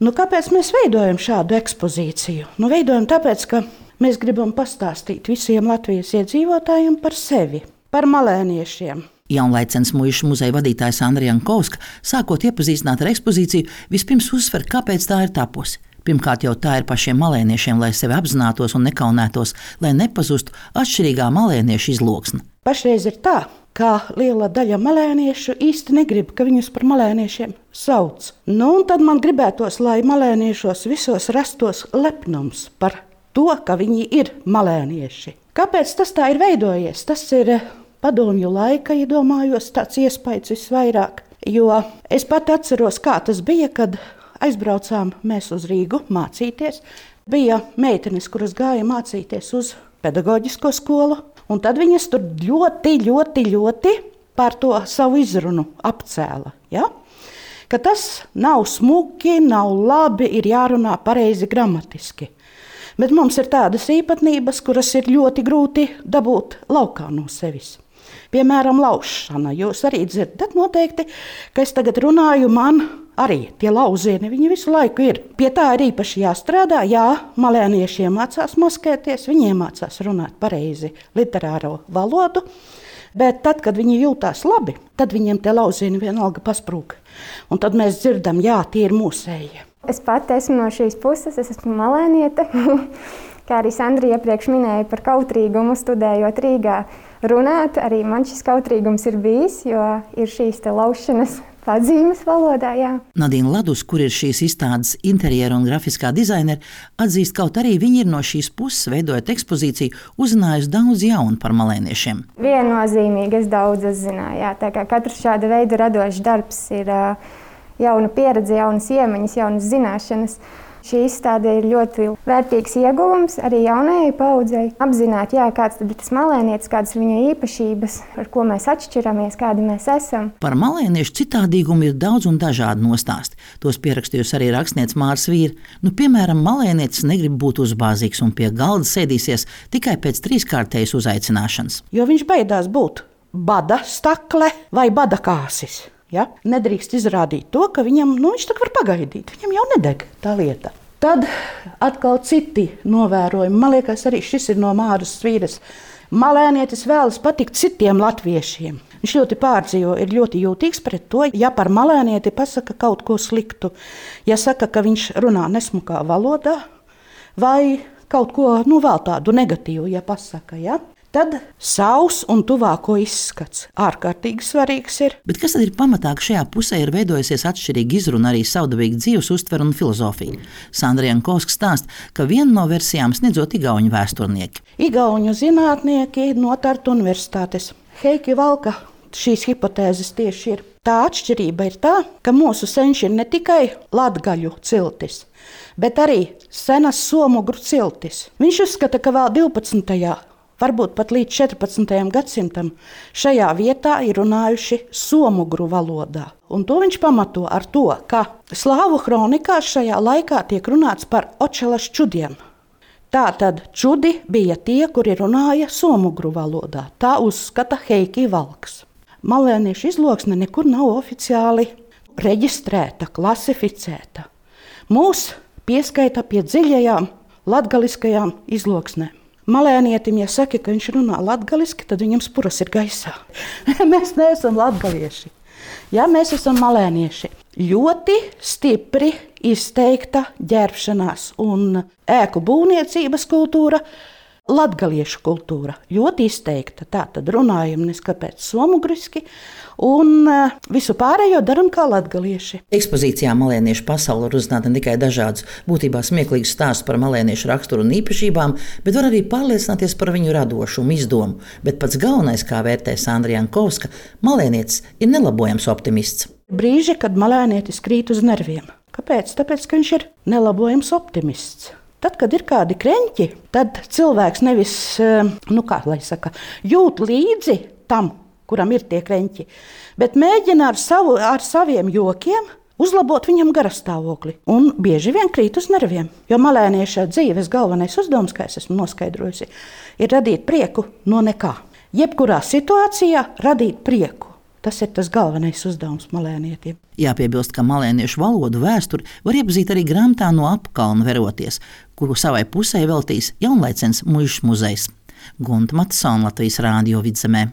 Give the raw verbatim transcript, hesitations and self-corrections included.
Nu, kāpēc mēs veidojam šādu ekspozīciju? Nu, veidojam tāpēc, ka mēs gribam pastāstīt visiem Latvijas iedzīvotājiem par sevi, par malēniešiem. Jaunlaicenes muižas muzeja vadītāja Sandra Jankovska, sākot iepazīstināt ar ekspozīciju, vispirms uzsver, kāpēc tā ir tapusi. Pirmkārt, jau tā ir pašiem malēniešiem, lai sevi apzinātos un nekaunētos, lai nepazustu atšķirīgā malēniešu izloksne. Pašreiz ir tā, ka liela daļa malēniešu īsti negrib, ka viņus par malēniešiem sauc. Nu, un tad man gribētos, lai malēniešos visos rastos lepnums par to, ka viņi ir malēnieši. Kāpēc tas tā ir veidojies? Tas ir padomju laika, iedomājos, tāds iespējas visvairāk. Jo es pat atceros, kā tas bija, kad aizbraucām mēs uz Rīgu mācīties. Bija meitenes, kuras gāja mācīties uz pedagoģisko skolu, un tad viņas tur ļoti, ļoti, ļoti par to savu izrunu apcēla. Ja? Ka tas nav smuki, nav labi, ir jārunā pareizi gramatiski. Bet mums ir tādas īpatnības, kuras ir ļoti grūti dabūt laukā no sevis. Piemēram, laušana. Jūs arī dzirdat noteikti, ka es tagad runāju, man arī tie lauzieni, viņi visu laiku ir. Pie tā ir īpaši jāstrādā, jā, malēnieši iemācās maskēties, viņi iemācās runāt pareizi literāro valodu, bet tad, kad viņi jūtās labi, tad viņiem tie lauzieni vienalga pasprūk. Un tad mēs dzirdam, jā, tie ir mūsēji. Es pati esmu no šīs puses, es esmu malēniete. Kā arī Sandra iepriekš minēja par kautrīgumu, studējot Rīgā runāt, arī man šis kautrīgums ir bijis, jo ir šīs te laušanas pazīmes valodā, jā. Nadīna Ladus, kur ir šīs izstādes interjera un grafiskā dizaineri, atzīst, kaut arī viņi ir no šīs puses, veidojot ekspozīciju, uzzinājusi daudz jaunu par malēniešiem. Viennozīmīgi es daudz uzzināju, jā, tā kā katrs šāda veida radošs darbs ir uh, jauna pieredze, jaunas iemaņas, jaunas zināšanas. Šī izstāde ir ļoti vērtīgs ieguvums arī jaunajai paudzei. Apzināt, jā, kāds tad ir tas malēnietis, kādas ir viņa īpašības, ar ko mēs atšķiramies, kādi mēs esam. Par malēniešu citādīgumu ir daudz un dažādi nostāsti. Tos pierakstījusi arī rakstniece Māra Svīra. Nu, piemēram, malēnietis negrib būt uzbāzīgs un pie galda sēdīsies tikai pēc trīskārtējas uzaicināšanas. Jo viņš baidās būt bada stakle vai bada kāsis. Ja? Nedrīkst izrādīt to, ka viņam, nu, viņš tā var pagaidīt. Viņam jau nedeg tā lieta. Tad atkal citi novērojumi. Man liekas, arī šis ir no Māras Svīras. Malēnietis vēlas patikt citiem latviešiem. Viņš ļoti pārdzīvo, ir ļoti jūtīgs pret to, ja par malēnieti pasaka kaut ko sliktu. Ja saka, ka viņš runā nesmukā valodā vai kaut ko, nu, vēl tādu negatīvu, ja pasaka, ja? Tad savs un tuvāko izskats ārkārtīgi svarīgs ir. Bet kas tad ir pamatā, ka šajā pusē ir veidojusies atšķirīga izruna, arī savdabīga dzīves uztvere un filozofija? Sandra Jankovska stāsta, ka vienu no versijām sniedzot igauņu vēsturnieki. Igauņu zinātnieki no Tartu universitātes. Heiki Valka šīs hipotēzes tieši ir. Tā atšķirība ir tā, ka mūsu senči ir ne tikai latgaļu ciltis, bet arī senas somugru ciltis. Viņš uzskata, ka vēl divpadsmitajā varbūt pat līdz četrpadsmitajam gadsimtam šajā vietā ir runājuši somugru valodā. Un to viņš pamato ar to, ka slāvu kronikās šajā laikā tiek runāts par očelas čudiem. Tātad čudi bija tie, kuri runāja somugru valodā. Tā uzskata Heiki Valks. Malēniešu izloksne nekur nav oficiāli reģistrēta, klasificēta. Mūs pieskaita pie dziļajām latgaliskajām izloksnēm. Malēnietim, ja saka, ka viņš runā latgaliski, tad viņam spuras ir gaisā. Mēs neesam latgalieši. Ja, mēs esam malēnieši. Ļoti stipri izteikta ģērbšanās un ēku būvniecības kultūra, latgaliešu kultūra. Ļoti izteikta. Tā tad runājam neskapēc somugriski un visu pārējo daram kā latgalieši. Ekspozīcijā Malēniešu pasaule var uzzināt ne tikai dažādus būtībā smieklīgus stāstus par malēniešu raksturu un īpašībām, bet var arī pārliecināties par viņu radošumu, izdomu. Bet pats galvenais, kā vērtē Sandra Jankovska, malēnietis ir nelabojams optimists. Brīži, kad malēnietis krīt uz nerviem. Kāpēc? Tāpēc, ka viņš ir nelabojams optimists. Tad, kad ir kādi kreņķi, tad cilvēks nevis, nu kā lai saka, jūt līdzi tam, kuram ir tie kreņķi, bet mēģina ar, savu, ar saviem jokiem uzlabot viņam garastāvokli. Un bieži vien krīt uz nerviem, jo malēnieša dzīves galvenais uzdevums, kā es esmu noskaidrojusi, ir radīt prieku no nekā. Jebkurā situācijā radīt prieku. Tas ir tas galvenais uzdevums malēnietiem. Jāpiebilst, ka malēniešu valodu vēsturi var iepazīt arī grāmatā No apkalna veroties, kuru savai pusē veltīs Jaunlaicens muižas muzejs. Gunta Matsona, Latvijas Rādio Vidzemē.